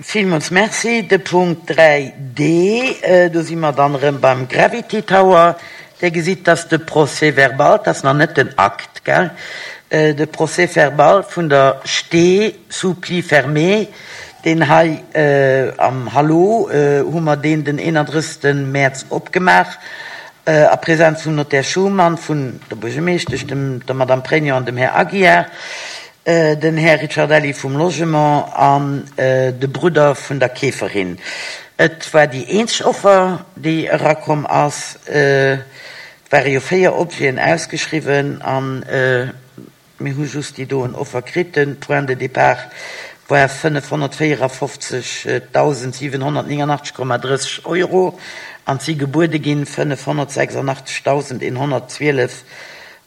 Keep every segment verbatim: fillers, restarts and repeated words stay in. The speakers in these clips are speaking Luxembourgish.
Villmools merci. De Punkt dräi D, do si mer dann erëm beim Gravity Tower. Dir gesitt, dass de Procès-verbal, dat ass nach net den Akt, gell, de Procès-verbal vun der Stee sous pli fermé, deen hei am Hallo hu mer deen den eenandrëssegste Mäerz opgemaach, a Präsenz vum Notaire Schumann, vun der Buergermeeschtesch, dem, der Madame Pregno an dem Här Aguiar, den Här Ricciardelli vum Logement an de Brudder vun der Keeferin. Et war déi eenzeg Offer, déi erakomm ass. Et ware jo véier Objeten ausgeschriwwen an mir hu just déi doen Offer kritt. De Point de départ war fënnefhonnertvéierafofzegdausendsiwenhonnertnénganachteg Komma drësseg Euro an et si gebuede ginn fënnefhonnertsechsundachtzegdausendeenhonnertzwielef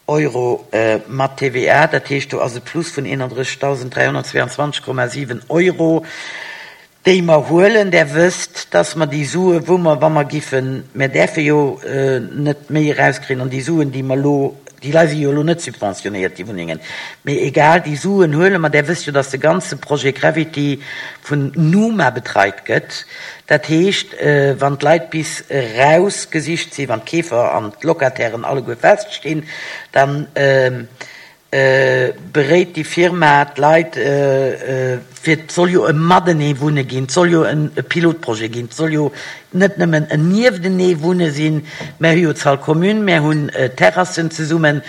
Euro mat T V A. Dat heescht, do ass e Plus vun eenanddrëssigdausenddräihonnertzweiundzwanzeg Komma siwen Euro, déi mer huelen. Där wësst, dass mer déi Sue, wou mer, wa mer giffen, mer däerfe jo net méi erauskriegen, an déi Suen, déi mer elo, déi Leit si jo elo net subventionéiert, déi Wunnengen, mee egal, déi Suen huele mer. Där wësst jo, dass de ganze Projet Gravity vun Numa betreit gëtt. Dat heescht, wann d'Leit bis rausgesicht sinn, wann d'Keefer an d'Locatairen alleguer feststinn, dann beréit déi Firma d'Leit, fir et soll jo e matenee wunne ginn, et soll jo e Pilotprojet ginn, et soll jo net nëmmen en nieftenee wunne sinn. Mer hu jo d'Salle commune, mer hunn Terrassen zesummen,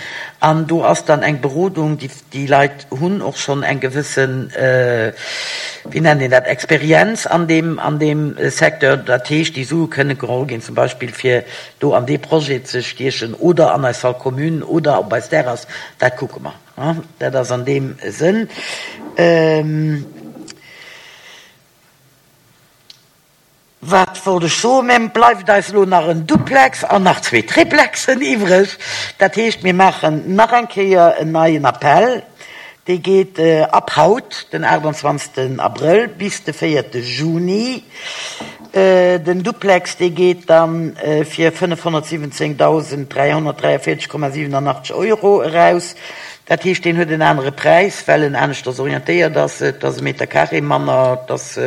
an do ass dann eng Berodung, déi, déi Leit hunn och schonn eng gewëssen, wéi nennt een dat, Experienz an deem, an deem Secteur. Dat heescht, déi Sue kënne geholl ginn, zum Beispill fir do an dee Projet ze stiechen oder an eis Salle commune oder op eis Terrasse, dat kucke mer. Dat ass an deem Sënn. Wat wollt ech soen? Mä bleift eis elo nach en Duplex an nach zwee Triplexen iwwreg. Dat heescht, mir maachen nach eng Kéier en neien Appell. Dee geet ab haut, den achtundzwanzigsten Abrëll, bis de véierte Juni. Den Duplex, dee geet dann fir fënnefhonnertsiwwenzéngdausenddräihonnertdräiundvierzeg Komma siebenundachtzig Euro eraus. Dat heescht, deen huet en anere Präis, well en aneschters orientéiert ass. Et ass e Meter carré manner, et ass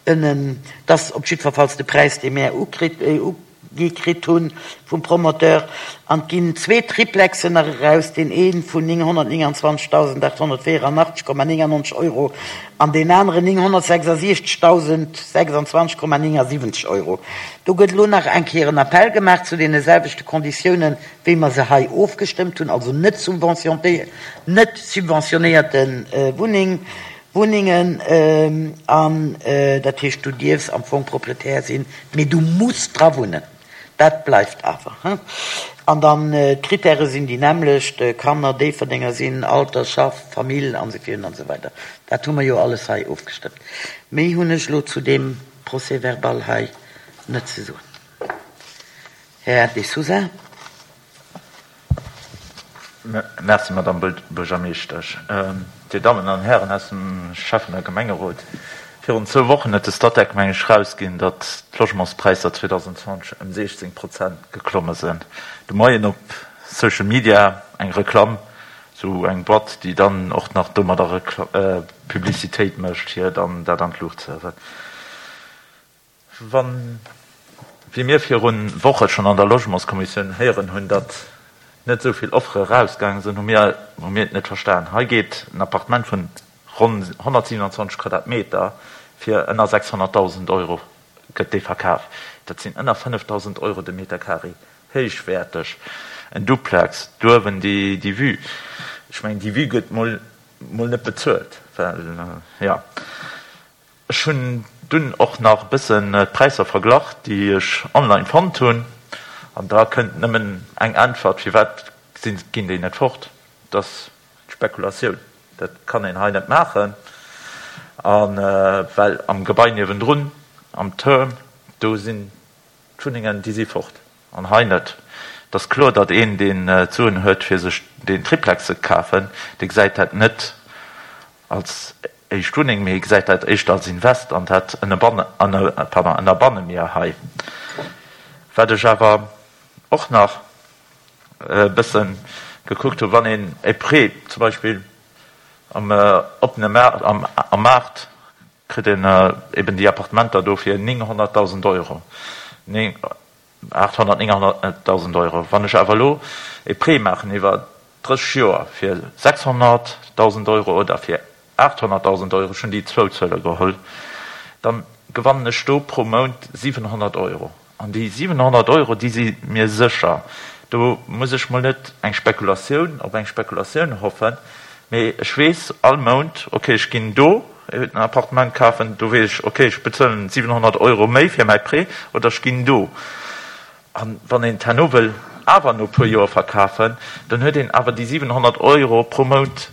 ënnen, et ass op jiddwerfalls de Präis, dee mir ukritt, ugi kritt hunn vum Promoteur. An et ginn zwee Triplexen nach eraus, deen ee vun nénghonnertnéngundzwanzigdausendachthonnertvierundachtzig Komma néngundneunzig Euro an deen aneren nénghonnertsechsundsechzigdausendsechsundzwanzig Komma neunundsiebzig Euro. Do gëtt elo nach eng Kéier en Appell gemaach zu deene selwechte Konditiounen, wéi mer se hei ofgestëmmt hunn, also net subventionéierte, net subventionéierte Wunneng, Wunnengen, an dat heescht, du dierfs am Fong Proprietär sinn, mee du muss dra wunnen. Dat bleift awer. An dann d'Kritäre sinn déi nämmlecht, Kanner, Déifferdenger sinn, Alter, Schaff, Famill an esou virun an esou weider. Dat hu mer jo alles hei ofgestëmmt. Méi hunn ech elo zu deem Procès-verbal hei net ze soen. Här De Sousa. Merci, Madame Buergermeeschtesch. Dir Dammen an Hären aus dem Schäffen- a Gemengerot, virun zwou Wochen huet de Statec, meng ech, erausginn, datt d'Logementspräisser zweetausendzwanzeg ëm siechzéng Prozent geklomme sinn. De Moien op Social Media eng Reklamm, sou eng Boîte, déi dann och nach domadder Publicitéit mécht, fir dann dat an d'Luucht ze hiewen. Wann, wéi mir virun Woche schonn an der Logementskommissioun héieren hunn, datt net esou vill Offere erausgaange sinn, hu mir hu mir et net verstan. Hei geet en Appartement vun ronn honnertsiewenundzwanzeg Quadratmeter fir ënner sechshonnertdausend Euro gëtt dee verkaf. Dat sinn ënner fënnefdausend Euro de Meter carré. Héichwäerteg. En Duplex, duerwen déi déi Vue. Ech mengen, déi Vue gëtt mol mol net bezuelt, well ja. Ech hunn dunn och nach e bëssen d'Präisser verglach, déi ech online fonnt hunn, an da kënnt nëmmen eng Äntwert, firwat sinn, ginn déi net fort? Dat ass d'Spekulatioun. Dat kann een hei net maachen, a well am Gebai niewendrun, am Turm, do sinn d'Wunnengen, déi si fort, an hei net. Et ass kloer, datt een, deen d'Suen huet, fir sech deen Triplex ze kafen, dee gesäit dat net als éischt Wunneng, mee gesäit dat éischter als Invest, an dat ënnerbanne mir hei. Wat ech awer och nach e bësse gekuckt hunn, wann een e Prêt zum Beispill am oppene Maart, am, am Maart kritt een eben déi Appartementer do fir nénghonnertdausend Euro, aathonnert, nénghonnertdausend Euro. Wann ech awer elo e Prêt maachen iwwer drësseg Joer fir sechshonnertdausend Euro oder fir aathonnertdausend Euro, ech hunn déi zwou Zuele geholl, da gewannen ech do pro Mount siwenhonnert Euro. An déi siwenhonnert Euro, déi si mir sécher. Do muss ech mol net eng Spekulatioun op eng Spekulatioun hoffen, mee ech weess all Mount, okay, ech ginn do en Appartement kafen, do weess ech, okay, ech bezuelen siwenhonnert Euro méi fir mäi Prêt, oder ech ginn do. A wann een et herno wëll awer no e puer Joer verkafen, dann huet een awer déi siwenhonnert Euro pro Mount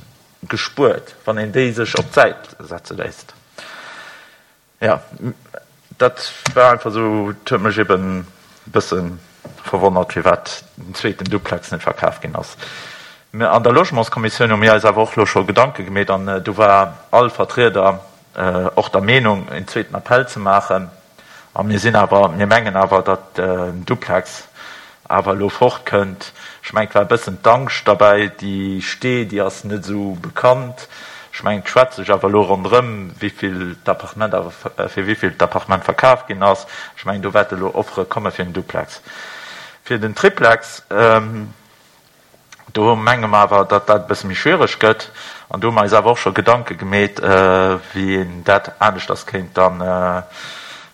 gespuert, wann een déi sech op d'Säit setze léisst. Jo, dat war einfach esou, et huet mech eben e bësse verwonnert, firwat den zweeten Duplex net verkaf ginn ass. Mä an der Logementskommissioun hu mir eis awer och elo scho Gedanke gemeet an do war all Vertrieder och der Meenung, en zweeten Appell ze maachen. A mir sinn awer, mir mengen awer, datt den Duplex awer elo fortkënnt. Ech mengen, et war e bëssen d'Angscht derbäi, déi Stee, déi ass net esou bekannt. Ech mengen, et schwätzt sech awer elo ronderëm, wéivill d'Appartement awer, fir wéivill d'Appartement verkaf ginn ass. Ech mengen, do wäerte elo Offere komme fir den Duplex. Fir den Triplex, do menge mer awer, datt dat e bësse méi schwiereg gëtt. An do hu mer eis awer och scho Gedanke gemeet, wéi een dat aneschters kéint da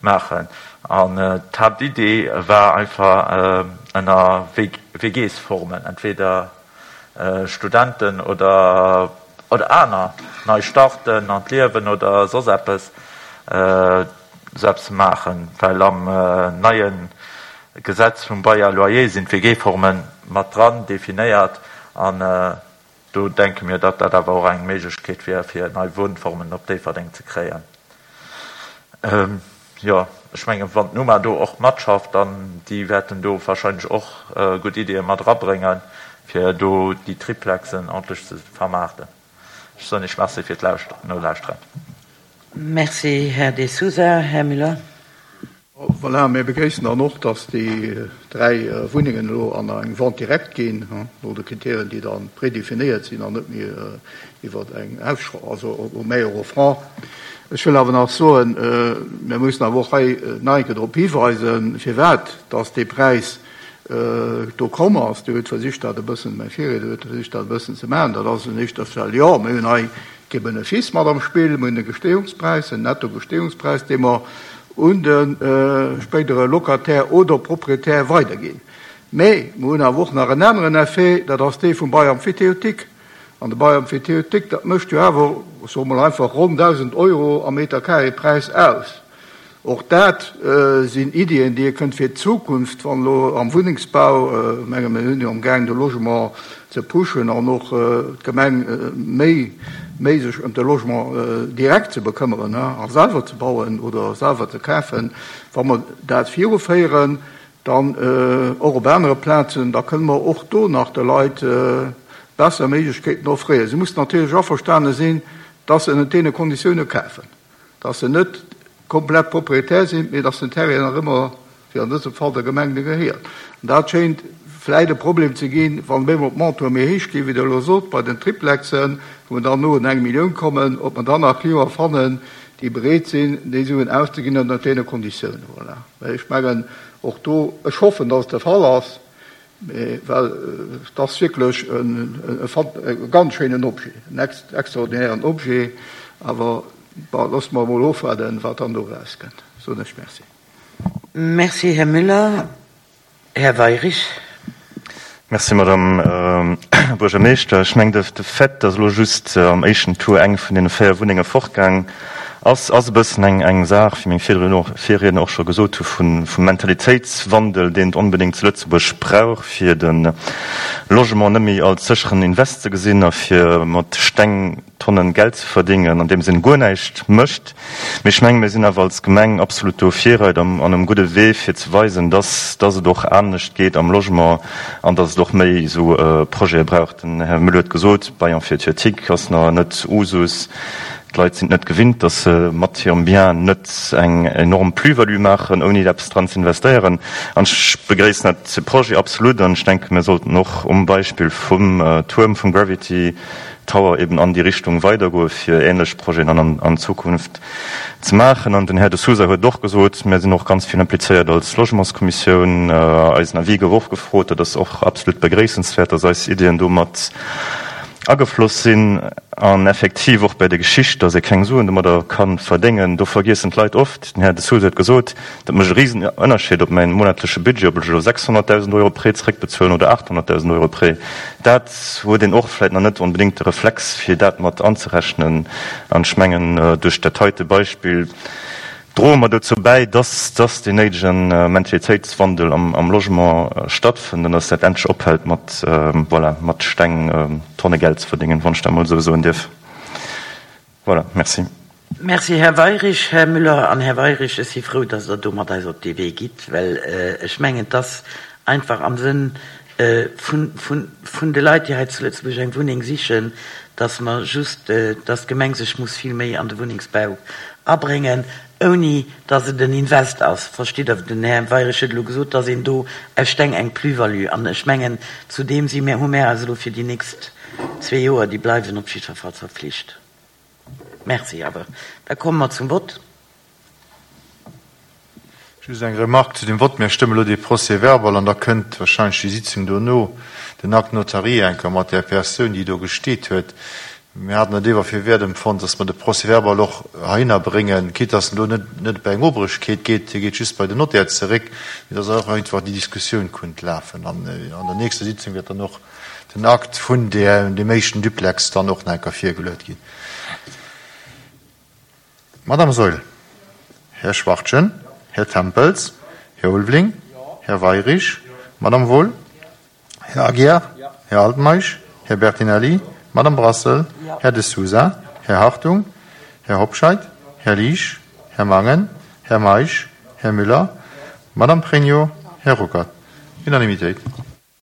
maachen. An d'Haaptidee war einfach ënner W G-Formen, entweder Studenten oder oder aner nei Starten an d'Liewen oder soss eppes, esou eppes ze maachen, well am neie Gesetz vum Bail à loyer sinn d'W G-Forme mat dran definéiert an do denke mir, datt dat awer och eng Méiglechkeet wier, fir nei Wunnformen op Déifferdeng ze kréien. Jo, ech mengen, wann d'Numa do och matschafft, dann déi wäerten do wahrscheinlech och gutt Ideeë mat erabréngen, fir do déi Triplexen ordntlech ze vermaarten. Ech soen Iech Merci fir d'Nolauschteren. Merci, Här De Sousa. Här Müller. Voilà, mir begréissen dann och, dass déi dräi Wunnengen elo an eng Vente directe ginn, no de Kriterien, déi da prédefinéiert sinn an net méi iwwer eng Ausschreibung, also au meilleur offrant. Ech wëll awer nach soen, mir mussen awer och hei nach eng Kéier drop hiweisen, firwat dass dee Präis do komm ass. Dir hutt versicht, dat e bëssen, mäi Virriedner huet versicht, dat e bëssen ze maachen. Dat ass un éischter Stell, jo, mir hunn hei kee Benefice mat am Spill, mir hunn e Gestehungspräis, en Nettogestehungspräis, dee mer un de spéidere Locataire oder Proprietär weiderginn. Mä mir hunn awer och nach en aneren Effet, dat ass dee vum Bail emphytéotique. An de Bail emphytéotique, dat mécht jo awer, ech soe mol einfach, ronn dausend Euro am Meter carré Präis aus. Och dat sinn Iddien, déi ee kënnt fir d'Zukunft, wann elo am Wunnengsbau, ech menge mir hunn jo amgaang de Logement ze pushen an och d'Gemeng méi méi sech ëm de Logement direkt ze bekëmmeren a selwer ze bauen oder selwer ze kafen, wa mer dat viruféieren, dann och op anere Plazen, da kënne mer och do nach de Leit besser Méiglechkeeten offréieren. Si mussen natierlech averstane sinn, dass se ënnert deene Konditioune kafen, dass se net komplett Proprietär sinn, mee dass den Terrain nach ëmmer, wéi an dësem Fall, der Gemeng gehéiert. An dat schéint vläit e Problem ze ginn, wann op eemol d'Montantë méi héich ginn, wéi Der elo sot, bei den Triplexen, wou mer dann no un eng Millioun kommen, ob mer dann nach Clienten fannen, déi bereet sinn, déi Suen auszeginn ënnert deene Konditiounen. Voilà. Well ech mengen, och do, ech hoffen, dass et de Fall ass, mee well et ass wierklech e ganz schéinen Objet, en extraordinären Objet, awer bon, loosse mer emol ofwaarden, wat dann do erauskënnt. Soen ech Merci. Merci, Här Müller. Här Weyrich. Merci, Madame Buergermeeschter. Ech mengen, de Fait, dass elo just am éischten Tour eng vun deene véier Wunnenge fortgaang ass, ass e bëssen eng eng Saach, wéi meng Virriedner och scho gesot hu vum Mentalitéitswandel, deen et onbedéngt zu Lëtzebuerg brauch, fir de Logement net méi als sécheren Invest ze gesinn a fir mat Steng Tonnen Geld ze verdingen, andeems een guer näischt mécht. Mee ech mengen, mir sinn awer als Gemeng absolut do virreit an um gudde Wee, fir ze weisen, dass dass et och anescht geet am Logement an dass et och méi esou Projete brauch. Den Här Müller huet gesot, Bail emphytéotique ass nach net Usus. D'Leit sinn et net gewinnt, dass se mat hirem Bien net eng enorm Plus-value maachen, ouni eppes dran ze investéieren. An ech begréissen dat Projet absolut an ech denken, mir sollten och um Beispill vum Tuerm vum Gravity Tower eben an déi Richtung weidergoe fir ähnlech Projeten an an Zukunft ze maachen. An den Här De Sousa huet et och gesot, mir sinn och ganz vill implizéiert als Logementskommissioun. Eisen Avis gouf och gefrot. Dat ass och absolut begréissenswäert, dass eis Iddien do mat agefloss sinn. An effektiv och bei der Geschicht, dass ee keng Suen domadder ka verdéngen, do vergiessen d'Leit oft, den Här De Sousa huet gesot, dat mécht e Risenënnerscheed, ob mäin monatleche Budget, ob ech elo sechshonnertdausend Euro Prêt zeréckbezuelen oder aachthonnertdausend Euro Prêt. Dat huet een och vläicht nach net onbedéngt de Reflex, fir dat mat anzerechnen. An ech mengen, duerch dat heite Beispill droe mer dozou bäi, dass dass deen néidege Mentalitéitswandel am Logement stattfënnt an dass dat endlech ophält mat, voilà, mat Steng Tonne Geld ze verdéngen, wann ech dat emol esou soen dierf. Voilà, merci. Merci, Här Weyrich. Här Müller an Här Weyrich, ech si frou, dass Der do mat eis op dee Wee gitt, well ech mengen, et ass einfach am Sënn vun, vun, vun de Leit, déi hei zu Lëtzebuerg eng Wunneng sichen, dass mer just, dass d'Gemeng sech muss vill méi an de Wunnengsbau abréngen, ouni dass et en Invest ass. Verstitt Der? Den Här Weyrich huet elo gesot, dass een do aus Steng eng Plus-value, an ech mengen, zu deem si mir, hu mär eis elo fir déi nächst zwee Joer, déi bleiwen, op jiddwer Fall verpflicht. Merci awer. Da komme mer zum Vott. Just eng Remarque zu dem Vott. Mir stëmme elo dee Procès-verbal an da kënnt wahrscheinlech déi Sitzung dono, den Acte notarié eng Kéier mat där Persoun, déi do gesteet huet. Mir haten et ewer fir wäert empfonnt, dass mer de Procès-verbal och heihinner bréngen, quitte dass en do net net bei eng Obrechkeet geet, hie geet just bei den Notaire zeréck, mee dass och einfach déi Diskussioun kunnt lafen. An an der nächster Sitzung wäert dann och den Akt vun där deem éischten Duplex dann och nach eng Kéier virgeluet ginn. Madame Saeul, Här Schwachtgen, Här Tempels, Här Ulveling, Här Weyrich, Madame Wohl, Här Aguiar, Här Altmeisch, Här Bertinelli, Madame Brassel, Här De Sousa, Här Hartung, Här Hobscheit, Här Liesch, Här Mangen, Här Meisch, Här Müller, Madame Pregno, Här Ruckert. Unanimitéit.